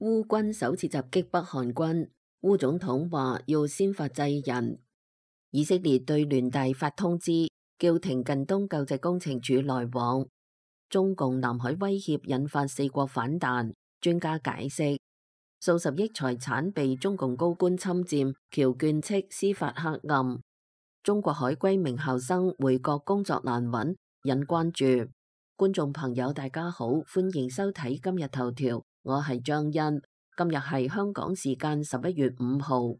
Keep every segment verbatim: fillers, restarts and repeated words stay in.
烏軍首次襲擊北韓軍，烏總統話要先發制人。以色列對聯大發通知，叫停近東救濟工程處來往。中共南海威脅引發四國反彈，專家解釋，數十億財產被中共高官侵佔，僑眷斥司法黑暗。中國海歸名校生回國工作難揾，引關注。觀眾朋友大家好，歡迎收睇今日頭條，我係張欣。今日係香港時間十一月五號。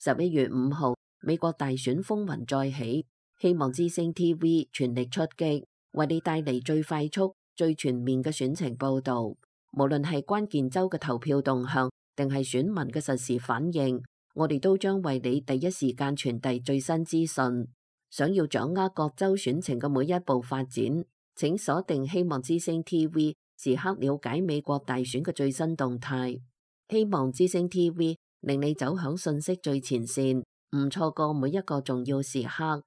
十一月五號，美國大選風雲再起，希望之聲 T V 全力出擊，為你帶嚟最快速、最全面嘅選情報導。無論係關鍵州嘅投票動向，定係選民嘅實時反應，我哋都將為你第一時間傳遞最新資訊。想要掌握各州選情嘅每一步發展，請鎖定希望之聲 T V， 時刻了解美國大選嘅最新動態。希望之聲 T V 令你走響信息最前線，唔錯過每一個重要時刻。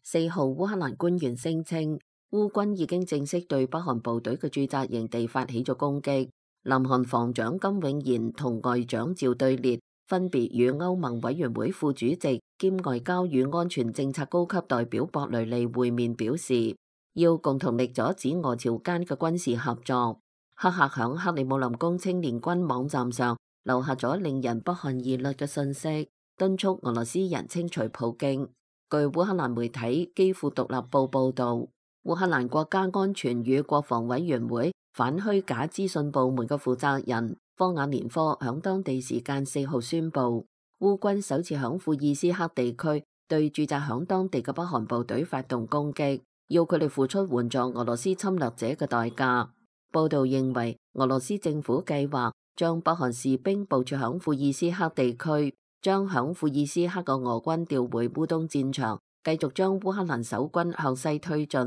四號，烏克蘭官員聲稱，烏軍已經正式對北韓部隊嘅駐紮營地發起咗攻擊。南韓防長金永賢同外長趙對列分別與歐盟委員會副主席兼外交與安全政策高級代表博雷利會面，表示要共同力阻止俄朝間嘅軍事合作。黑客響克里姆林宮青年軍網站上留下咗令人不寒而慄嘅信息，敦促俄羅斯人清除普京。據烏克蘭媒體《基輔獨立報》報道，烏克蘭國家安全與國防委員會反虛假資訊部門嘅負責人科瓦連科響當地時間四號宣布，烏軍首次響庫爾斯克地區對駐紮響當地嘅北韓部隊發動攻擊，要佢哋付出援助俄羅斯侵略者嘅代價。報道認為，俄羅斯政府計劃將北韓士兵部署響庫爾斯克地區，將響庫爾斯克嘅俄軍調回烏東戰場，繼續將烏克蘭守軍向西推進。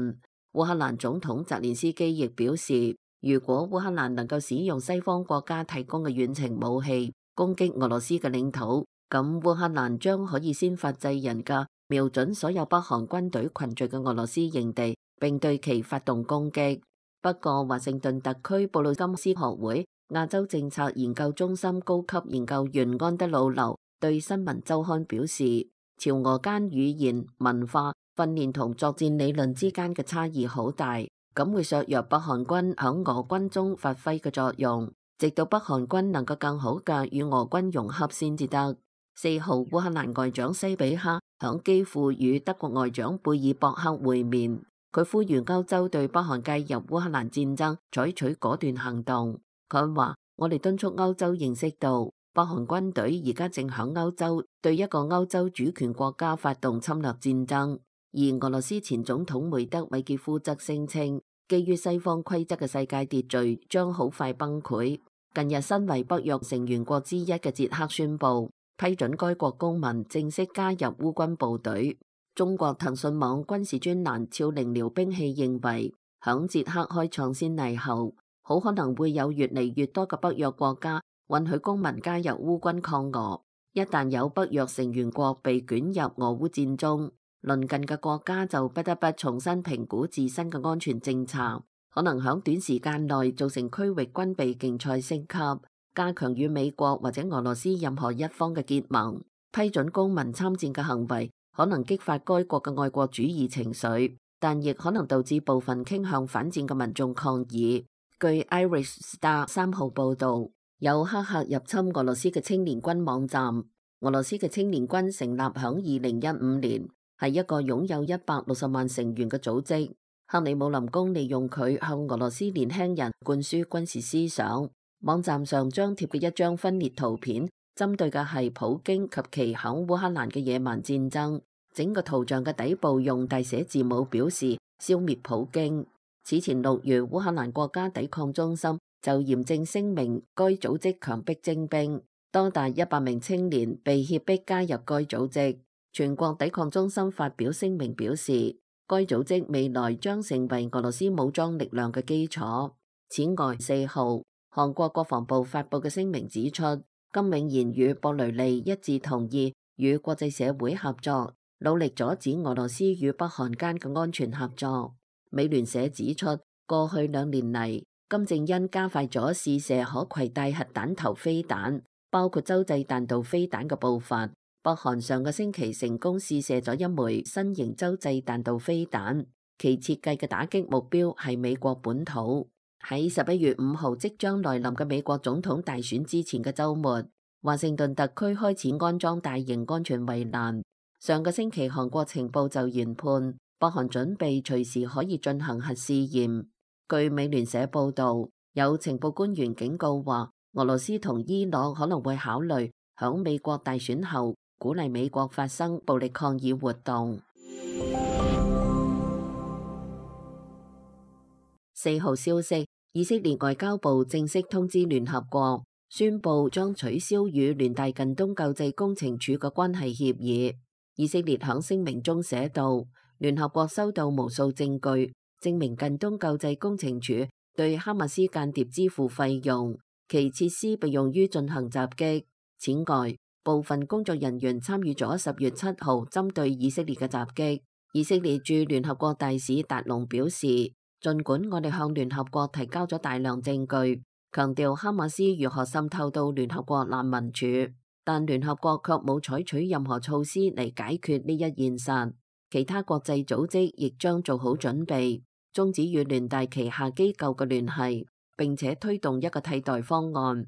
烏克蘭總統澤連斯基亦表示，如果烏克蘭能夠使用西方國家提供嘅遠程武器攻擊俄羅斯嘅領土，咁烏克蘭將可以先發制人嘅瞄準所有北韓軍隊群聚嘅俄羅斯營地，並對其發動攻擊。不過，華盛頓特區布魯金斯學會亞洲政策研究中心高級研究員安德魯劉對新聞週刊表示，朝俄間語言、文化、訓練同作戰理論之間嘅差異好大，咁會削弱北韓軍響俄軍中發揮嘅作用，直到北韓軍能夠更好嘅與俄軍融合先至得。四號，烏克蘭外長西比克響基輔與德國外長貝爾博克會面，佢呼籲歐洲對北韓介入烏克蘭戰爭採取果斷行動。佢話：我哋敦促歐洲認識到，北韓軍隊而家正響歐洲對一個歐洲主權國家發動侵略戰爭。而俄羅斯前總統梅德韋傑夫則聲稱，基於西方規則嘅世界秩序將好快崩潰。近日，身為北約成員國之一嘅捷克宣布批准該國公民正式加入烏軍部隊。中國騰訊網軍事專欄超零聊兵器認為，響捷克開創先例後，好可能會有越嚟越多嘅北約國家允許公民加入烏軍抗俄。一旦有北約成員國被捲入俄烏戰中，鄰近嘅國家就不得不重新評估自身嘅安全政策，可能響短時間內造成區域軍備競賽升級，加強與美國或者俄羅斯任何一方嘅結盟。批准公民參戰嘅行為可能激發該國嘅愛國主義情緒，但亦可能導致部分傾向反戰嘅民眾抗議。據 Irish Star 三號報導，有黑客入侵俄羅斯嘅青年軍網站。俄羅斯嘅青年軍成立響二零一五年，係一個擁有一百六十萬成員嘅組織。克里姆林宮利用佢向俄羅斯年輕人灌輸軍事思想。網站上張貼嘅一張分裂圖片，針對嘅係普京及其響烏克蘭嘅野蠻戰爭。整個圖像嘅底部用大寫字母表示消滅普京。此前六月，烏克蘭國家抵抗中心就嚴正聲明該組織強迫徵兵，多達一百名青年被脅迫加入該組織。全國抵抗中心發表聲明表示，該組織未來將成為俄羅斯武裝力量嘅基礎。此外，四號，韓國國防部發佈嘅聲明指出，金永賢與博雷利一致同意與國際社會合作，努力阻止俄羅斯與北韓間嘅安全合作。美聯社指出，過去兩年嚟，金正恩加快咗試射可攜帶核彈頭飛彈，包括洲際彈道飛彈嘅步伐。北韓上個星期成功試射咗一枚新型洲際彈道飛彈，其設計嘅打擊目標係美國本土。喺十一月五號即將來臨嘅美國總統大選之前嘅週末，華盛頓特區開始安裝大型安全圍欄。上個星期韓國情報就研判，北韓準備隨時可以進行核試驗。據美聯社報導，有情報官員警告話，俄羅斯同伊朗可能會考慮響美國大選後鼓勵美國發生暴力抗議活動。四號消息，以色列外交部正式通知聯合國，宣布將取消與聯大近東救濟工程處嘅關係協議。以色列響聲明中寫道，聯合國收到無數證據，證明近東救濟工程處對哈馬斯間諜支付費用，其設施被用於進行襲擊。此外，部分工作人員參與咗十月七號針對以色列嘅襲擊。以色列駐聯合國大使達龍表示，儘管我哋向聯合國提交咗大量證據，強調哈馬斯如何滲透到聯合國難民署，但聯合國卻冇採取任何措施嚟解決呢一現實。其他國際組織亦將做好準備，終止與聯大旗下機構嘅聯繫，並且推動一個替代方案。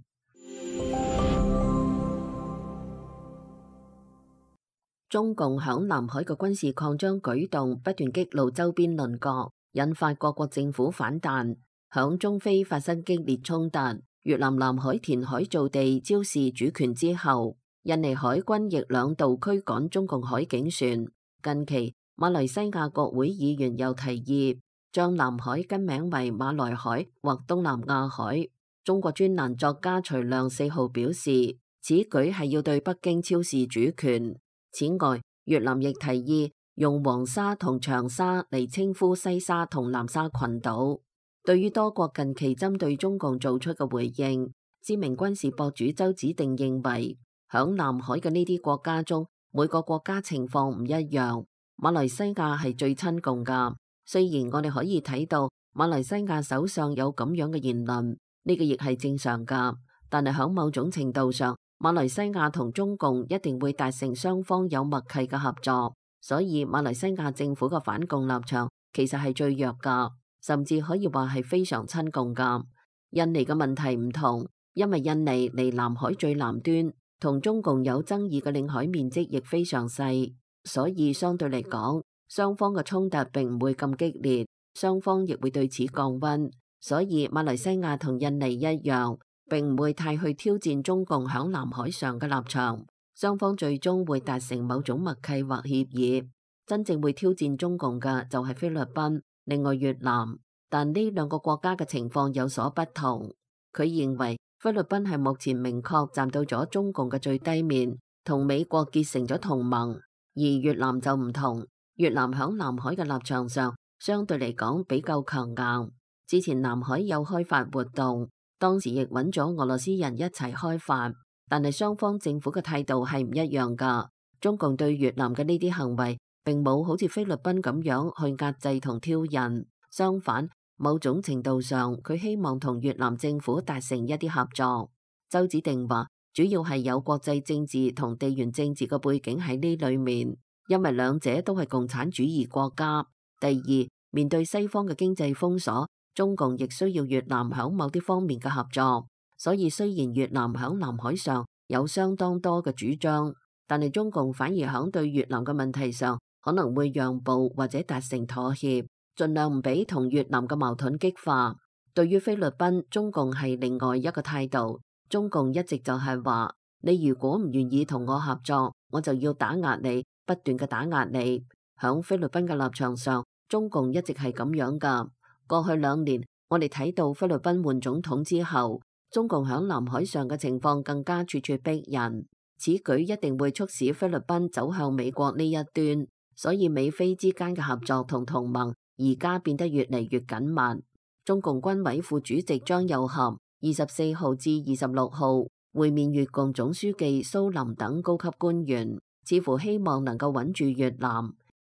中共響南海嘅軍事擴張舉動不斷激怒周邊鄰國，引發各國政府反彈。響中非發生激烈衝突，越南南海填海造地昭示主權之後，印尼海軍亦兩度驅趕中共海警船。近期，馬來西亞國會議員又提議將南海更名為馬來海或東南亞海。中國專欄作家徐亮四號表示，此舉係要對北京昭示主權。此外，越南亦提議用黃沙同長沙嚟稱呼西沙同南沙群島。對於多國近期針對中共做出嘅回應，知名軍事博主周子定認為，響南海嘅呢啲國家中，每個國家情況唔一樣。馬來西亞係最親共噶，雖然我哋可以睇到馬來西亞首相有咁樣嘅言論，呢個亦係正常噶。但係響某種程度上，馬來西亞同中共一定會達成雙方有默契嘅合作，所以馬來西亞政府嘅反共立場其實係最弱噶，甚至可以話係非常親共噶。印尼嘅問題唔同，因為印尼離南海最南端，同中共有爭議嘅領海面積亦非常細，所以相對嚟講，雙方嘅衝突並唔會咁激烈，雙方亦會對此降溫。所以馬來西亞同印尼一樣，並唔會太去挑戰中共響南海上嘅立場。雙方最終會達成某種默契或協議。真正會挑戰中共嘅就係菲律賓，另外越南。但呢兩個國家嘅情況有所不同。佢認為菲律賓係目前明確站到咗中共嘅最低面，同美國結成咗同盟。而越南就唔同，越南響南海嘅立場上相對嚟講比較強硬。之前南海有開發活動，當時亦揾咗俄羅斯人一齊開發，但係雙方政府嘅態度係唔一樣噶。中共對越南嘅呢啲行為並冇好似菲律賓咁樣去壓制同挑釁，相反，某種程度上佢希望同越南政府達成一啲合作。周子定話，主要係有國際政治同地緣政治嘅背景喺呢裏面，因為兩者都係共產主義國家。第二，面對西方嘅經濟封鎖，中共亦需要越南響某啲方面嘅合作。所以雖然越南響南海上有相當多嘅主張，但係中共反而響對越南嘅問題上可能會讓步或者達成妥協，盡量唔俾同越南嘅矛盾激化。對於菲律賓，中共係另外一個態度。中共一直就係話，你如果唔願意同我合作，我就要打壓你，不斷嘅打壓你。響菲律賓嘅立場上，中共一直係咁樣噶。過去兩年，我哋睇到菲律賓換總統之後，中共響南海上嘅情況更加處處逼人。此舉一定會促使菲律賓走向美國呢一端，所以美菲之間嘅合作同同盟而家變得越嚟越緊密。中共軍委副主席張又俠二十四號至二十六號會面越共總書記蘇林等高級官員，似乎希望能夠穩住越南。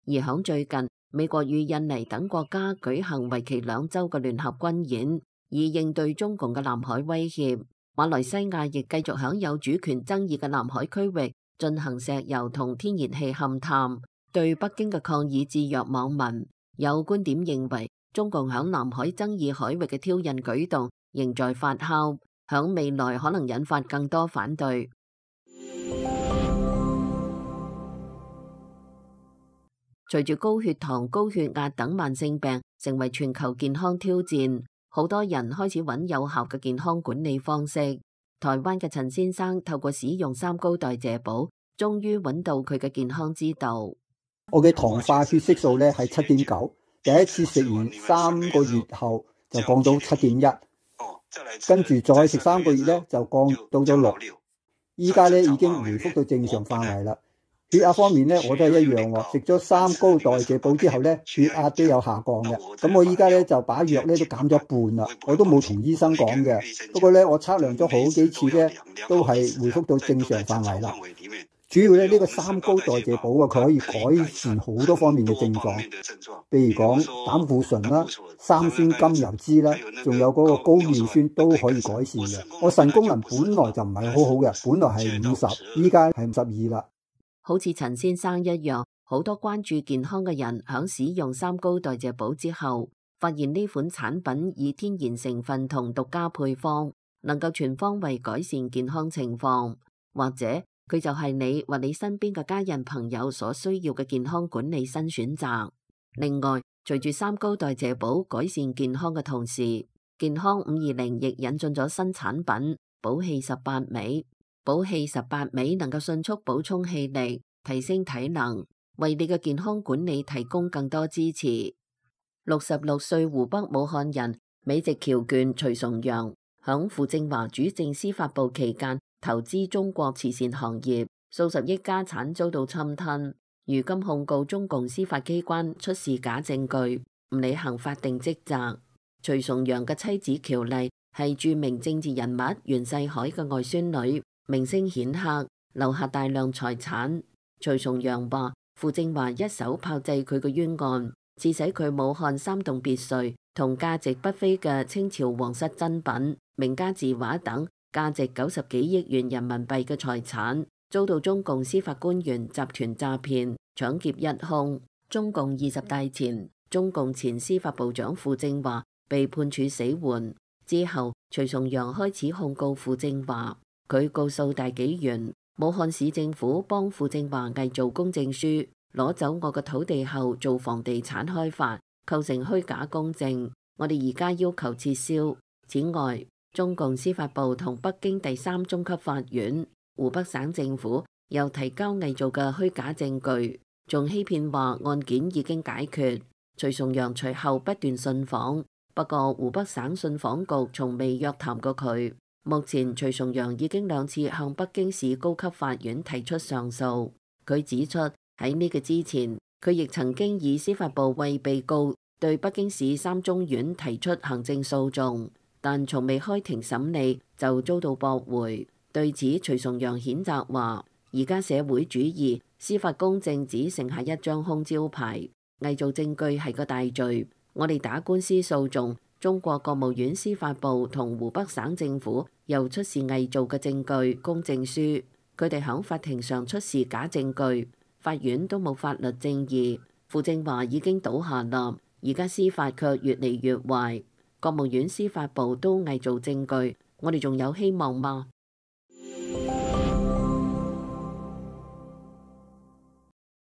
而響最近，美國與印尼等國家舉行為期兩週嘅聯合軍演，以應對中共嘅南海威脅。馬來西亞亦繼續響有主權爭議嘅南海區域進行石油同天然氣勘探。對北京嘅抗議置若罔聞，有觀點認為，中共響南海爭議海域嘅挑釁舉動仍在發酵，響未來可能引發更多反對。隨住高血糖、高血壓等慢性病成為全球健康挑戰，好多人開始揾有效嘅健康管理方式。台灣嘅陳先生透過使用三高代謝寶，終於揾到佢嘅健康之道。我嘅糖化血色素咧係七點九，第一次食完三個月後就降到七點一，跟住再食三個月咧就降到咗六，依家咧已經回復到正常範圍啦。血壓方面咧，我都係一樣喎。食咗三高代謝寶之後咧，血壓都有下降嘅。咁我依家咧就把藥咧都減咗一半啦。我都冇同醫生講嘅。不過咧，我測量咗好幾次咧，都係回復到正常範圍啦。主要咧呢個三高代謝寶啊，佢可以改善好多方面嘅症狀，譬如講膽固醇啦、三酸甘油酯啦，仲有嗰個高尿酸都可以改善嘅。我腎功能本來就唔係好好嘅，本來係五十，依家係五十二啦。好似陳先生一樣，好多關注健康嘅人響使用三高代謝寶之後，發現呢款產品以天然成分同獨家配方，能夠全方位改善健康情況，或者佢就係你或你身邊嘅家人朋友所需要嘅健康管理新選擇。另外，隨住三高代謝寶改善健康嘅同時，健康五二零亦引進咗新產品寶氣十八味。寶氣十八味能夠迅速補充氣力，提升體能，為你嘅健康管理提供更多支持。六十六歲湖北武漢人美籍僑眷徐崇陽，響傅政華主政司法部期間投資中國慈善行業，數十億家產遭到侵吞，如今控告中共司法機關出示假證據，唔履行法定職責。徐崇陽嘅妻子喬麗係著名政治人物袁世凱嘅外孫女。名聲顯赫，留下大量財產。徐崇陽話：傅政華一手炮製佢嘅冤案，致使佢武漢三棟別墅同價值不菲嘅清朝皇室珍品、名家字畫等價值九十幾億元人民幣嘅財產，遭到中共司法官員集團詐騙、搶劫一空。中共二十大前，中共前司法部長傅政華被判處死緩之後，徐崇陽開始控告傅政華。佢告訴大紀元，武漢市政府幫傅政華偽造公證書，攞走我嘅土地後做房地產開發，構成虛假公證。我哋而家要求撤銷。此外，中共司法部同北京第三中級法院、湖北省政府又提交偽造嘅虛假證據，仲欺騙話案件已經解決。徐崇陽隨後不斷信訪，不過湖北省信訪局從未約談過佢。目前徐崇陽已經兩次向北京市高級法院提出上訴。佢指出喺呢個之前，佢亦曾經以司法部為被告對北京市三中院提出行政訴訟，但從未開庭審理就遭到駁回。對此，徐崇陽譴責話：而家社會主義司法公正只剩下一張空招牌，偽造證據係個大罪。我哋打官司訴訟，中國國務院司法部同湖北省政府又出示偽造嘅證據、公證書，佢哋響法庭上出示假證據，法院都冇法律正義。傅政華已經倒下啦，而家司法卻越嚟越壞，國務院司法部都偽造證據，我哋仲有希望嗎？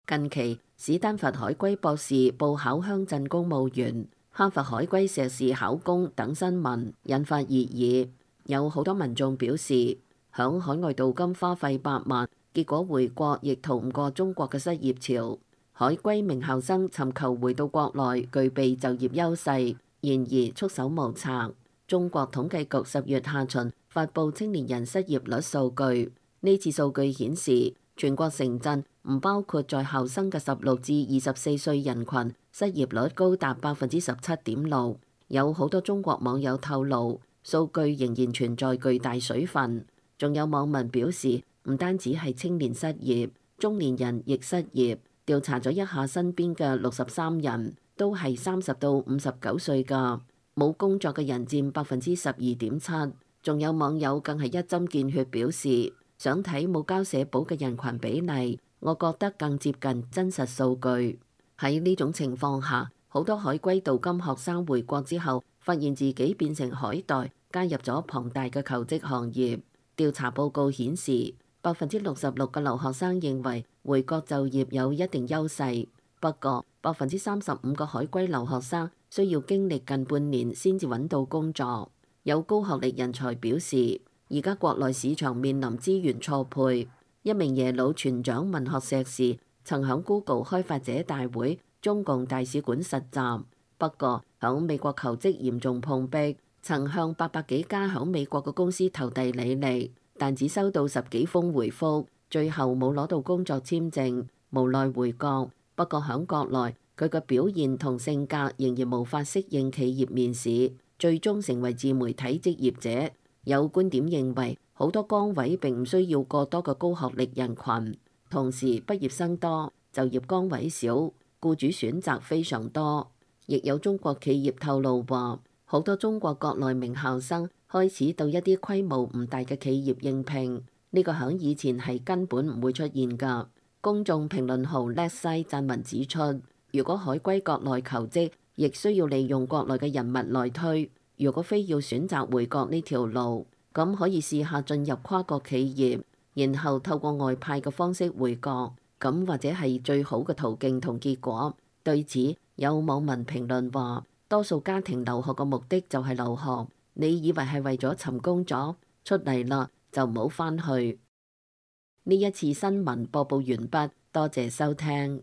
近期，史丹佛海歸博士報考鄉鎮公務員、哈佛海歸碩士考公等新聞引發熱議，有好多民眾表示，響海外鍍金花費百萬，結果回國亦逃唔過中國嘅失業潮。海歸名校生尋求回到國內，具備就業優勢，然而束手無策。中國統計局十月下旬發布青年人失業率數據，呢次數據顯示，全國城鎮唔包括在校生嘅十六至二十四歲人群，失業率高達百分之十七點六。有好多中國網友透露，數據仍然存在巨大水分。仲有網民表示，唔單止係青年失業，中年人亦失業，調查咗一下身邊嘅六十三人，都係三十到五十九歲㗎，冇工作嘅人佔百分之十二點七。仲有網友更係一針見血表示，想睇冇交社保嘅人群比例，我覺得更接近真實數據。喺呢種情況下，好多海歸鍍金學生回國之後，發現自己變成海袋，加入咗龐大嘅求職行業。調查報告顯示，百分之六十六嘅留學生認為回國就業有一定優勢，不過百分之三十五嘅海歸留學生需要經歷近半年先至揾到工作。有高學歷人才表示，而家國內市場面臨資源錯配。一名耶魯全獎文學碩士曾響 Google 開發者大會中共大使館實習，不過響美國求職嚴重碰壁，曾向八百幾家響美國嘅公司投遞履歷，但只收到十幾封回覆，最後冇攞到工作簽證，無奈回國。不過響國內，佢嘅表現同性格仍然無法適應企業面試，最終成為自媒體職業者。有觀點認為，好多崗位並唔需要過多嘅高學歷人群，同時畢業生多，就業崗位少，僱主選擇非常多。亦有中國企業透露話，好多中國國內名校生開始到一啲規模唔大嘅企業應聘，呢個響以前係根本唔會出現㗎。公眾評論號叻西撰文指出，如果海歸國內求職，亦需要利用國內嘅人物來推。如果非要選擇回國呢條路，咁可以試下進入跨國企業，然後透過外派嘅方式回國，咁或者係最好嘅途徑同結果。對此，有網民評論話，多數家庭留學嘅目的就係留學，你以為係為咗尋工作？出嚟啦就唔好返去。呢一次新聞播報完畢，多謝收聽。